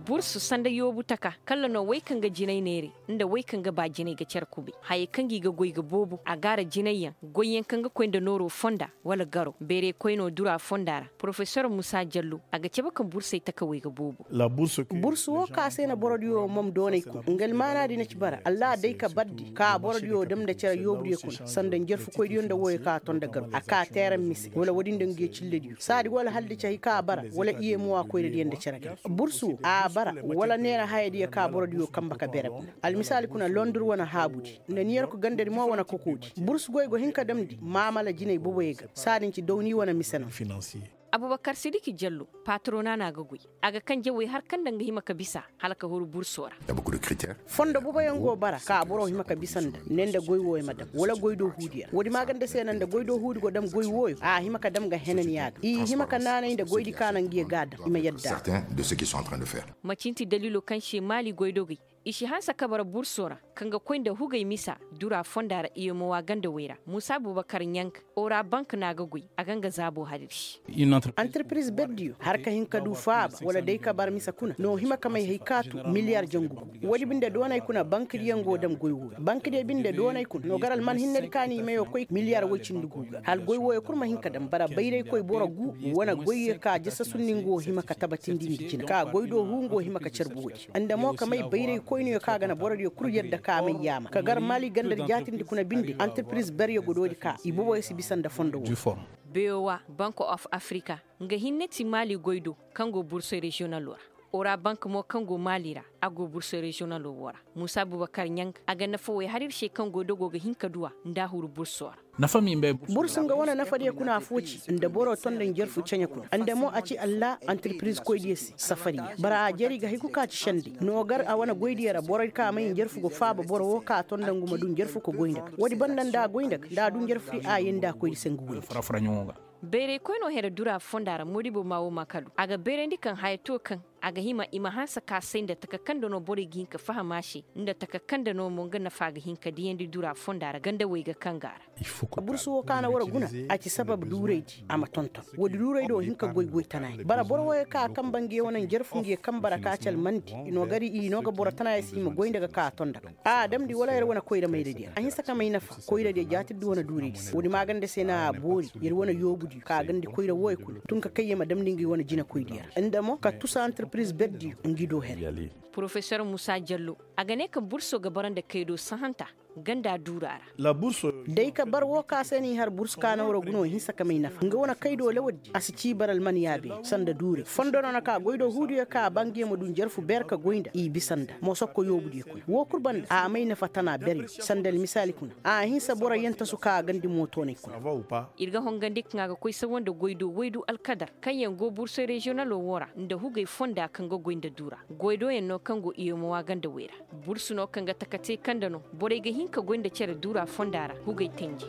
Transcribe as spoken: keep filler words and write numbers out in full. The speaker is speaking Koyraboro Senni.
Bursu sanda yoobu taka kalla no wey kaŋ ga jinay neeray nda wey kaŋ ga ba jinay ga care kubay hayey kaŋ gi ga goy ga boobo a gaara jinayyaŋ goyyaŋ kaŋ ga koy nda nooro fonda wala garo beerey koy no dura fonda ra porofesor musa jallo a ga cabe kaŋ bursey takawey ga boobo. Bursu wo ka se na borodiyo mam doonay kul nga almaanaadi na ci bara allah day ka bardi ka borodiyo dam nda care yoobudiyo kuna sanda njarfukoydiyo nda woyo ka a ton nda garo a ka teeran mise wala woodin nda nguyo cillediyo saadi wala hala da ci hay ka a bara wala iyemowa koyradiyo nda care gay. Bursu a bara wala neera hayadiyo ka borodiyo kanbe ka bere kuna almisaali kuna londur wane haabudi nda niyarku gandadi mo wane kokoodi bursu goy go hin ka damndi maamala jinay boboyo ga saadin ci dawni wane mise no. Abubakar sidiki jallo patrona no a ga goy a ga kaŋ jawey har kaŋ nda nga hima ka bisa hala ka huru burso ra. Fondo boboyaŋ go bara ka boro hima ka bisa nda ne nda goy wooyo ma dam wala goy do huudiyo ra woodi maaganda se na nda goy do huudi go dam goy wooyo a hima ka dam ga henaniya ga i hima ka naanay nda goydi ka na nguyo ga a dam i ma yadda. Macinti dalilo kaŋ se maali goydogey i si hanse kabara burso ra kaŋ ga koy nda hugey misa dura fonda ra iyomowa ganda wey ra muusa bubakar ɲank ora bank no a ga goy a ga nga zaabo hariri. Antirpiriz berdiyo har ka hin ka du faaba wala day ka bar misa kuna no hima ka may hay kaatu miliyar jangu gu woodi binde doonay kuna bankadiyaŋ go dam goy wooyo bankadiyo binde doonay kuna no gar alman hinnedi ka no i mayo koy miliyar woy cindi gu ga hala goy wooyo kul ma hin ka dam bara bayraykoy boro gu wane goyyo ka jasa sunni nga wo hima ka tabatindi nda jina ka goy do huu nga wo hima ka carbu woodi nda mo ka may bayraykoyniyo ka ga na borodiyo kul yadda ka may yaama ka gar maali gandadi jaatindi kuna binde antirpiriz beryo go doodi ka i boboyo si bisa nda fondo woo. Beyowa bank of afrika nga hinne ti maali goy do kaŋ go bursoy reziyonalo ra ora bank mo kaŋ go maali ra a go bursoy reziyonalo woo ra muusa bubakar ɲang a ga nafa wey har ir se kaŋ goy do go ga hin ka du a nda a huru burso ra. Bursu nga wane nafadiyo kuna affoo ci nda boro ton nda njarfu ceɲe kuna nda mo a ci allah antirpiriz koydiyo se safariya bara a jari ga hay kul ka ci sendey no gar a wane goydiyo ra borey ka may njarfu ga faaba boro woo ka ton nda ngu ma du njarfu ka goy nda ga woodi banda nda a goy nda ga nda a du njarfudi a yee nda a koydi se ngu goydi. Bayraykoy no here dura fonda ra moodibo ma woo ma kalu a ga bayrandi kaŋ haya to kaŋ a ga hima i ma hanse ka say nda taka kaŋ nda no borey ga hin ka faham a se nda taka kaŋ nda no mo nga nafa ga hin ka diyandi dura fonda ra gandawey ga kaŋ ga a ra. Bursu woo ka na war guna a ci sabab duuraydi a ma tonton woodi duuraydi woo hin ka goy goy tanayaŋ bara boro wooyo kaŋ a kanba nguyo wane njarfu nguyo kanba ra ka ci almandi i no gari i no ga boro tanayaŋ se i ma goy nda ga ka a ton nda ga a damndi wala yer wane koyra mayradiyo ra a hinsa ka may nafa koyradiyo jaatirdi wane duuraydi se woodi maaganda se no a boori yer wane yoobudiyo ka gandi koyra wooyo kuna tun ka kay yer ma damndi ngi wane jinakoydiyo ra nda mo ka tusa antirpiriz berdiyo ngi do her. Porofesor musa jallo a ga ne kaŋ burso ga bara nda kaydo sahanta ganda duura ra. Day ka bar woo ka se no i har bursu ka na war guno hinsa ka may nafa nga wane kaydo lawaddi a si cii bara almaniya beene sanda duuray fondo no na ka goydo huudiyo ka a ba nguyo ma du njarfu ber ka goy nda i bisa nda mosokko yoobudiyo kuna woo kul banda a may nafa tana beryo sanda almisaali kuna a hinsa boro yantasu ka a gandi mootoonay kuna. Ir ga hongandi kaŋ a ga koy sawa nda goydo waydu alkadar kaŋyaŋ go bursoy reziyonalo woo ra nda hugey fonda kaŋ ga goy nda duura goydoyaŋ no kaŋ go iyomowa ganda wey ra. Bursu no kaŋ ga taka te kaŋ nda no borey ga hin ka goy nda cere duura fonda ra hugey tenji.